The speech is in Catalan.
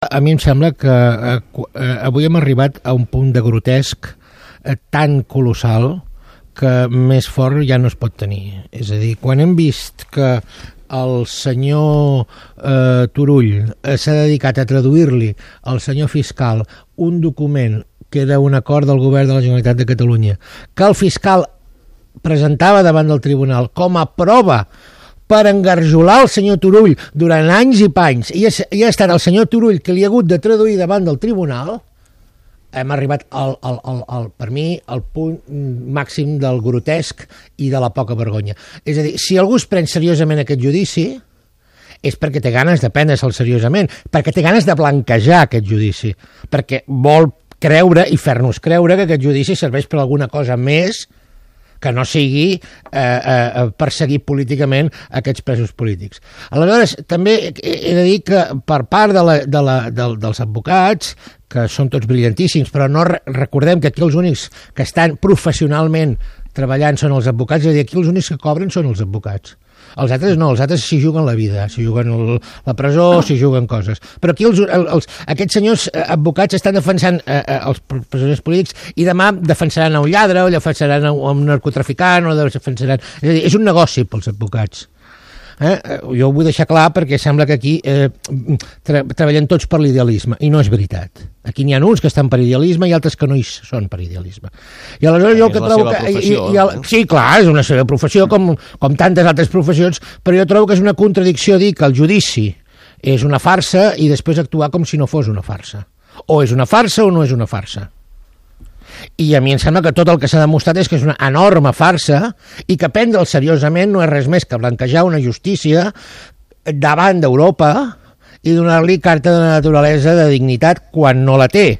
A mi em sembla que avui hem arribat a un punt de grotesc tan colossal que més fort ja no es pot tenir. És a dir, quan hem vist que el senyor Turull s'ha dedicat a traduir-li al senyor fiscal un document que era un acord del govern de la Generalitat de Catalunya, que el fiscal presentava davant del tribunal com a prova per engarjolar el senyor Turull durant anys i panys, i ha estat el senyor Turull que li ha hagut de traduir davant del tribunal, hem arribat per mi al punt màxim del grotesc i de la poca vergonya. És a dir, si algú es pren seriosament aquest judici, és perquè té ganes de prendre-se'l seriosament, perquè té ganes de blanquejar aquest judici, perquè vol creure i fer-nos creure que aquest judici serveix per alguna cosa més que no sigui perseguir políticament aquests presos polítics. Aleshores, també he de dir que per part dels advocats, que són tots brillantíssims, però no recordem que aquí els únics que estan professionalment treballant són els advocats, és a dir, aquí els únics que cobren són els advocats. Els altres no, els altres s'hi juguen la vida, s'hi juguen la presó, s'hi juguen coses. Però aquí aquests senyors advocats estan defensant els presoners polítics i demà defensaran un lladre o defensaran un narcotraficant o defensaran... És a dir, és un negoci pels advocats. Jo ho vull deixar clar perquè sembla que aquí treballem tots per l'idealisme i no és veritat. Aquí n'hi ha uns que estan per idealisme i altres que no hi són per idealisme. I aleshores jo el que trobo que... Sí, clar, és una seva professió com tantes altres professions, però jo trobo que és una contradicció dir que el judici és una farsa i després actuar com si no fos una farsa. O és una farsa o no és una farsa. I a mi em sembla que tot el que s'ha demostrat és que és una enorme farsa i que prendre'l seriosament no és res més que blanquejar una justícia davant d'Europa i donar-li carta de naturalesa de dignitat quan no la té.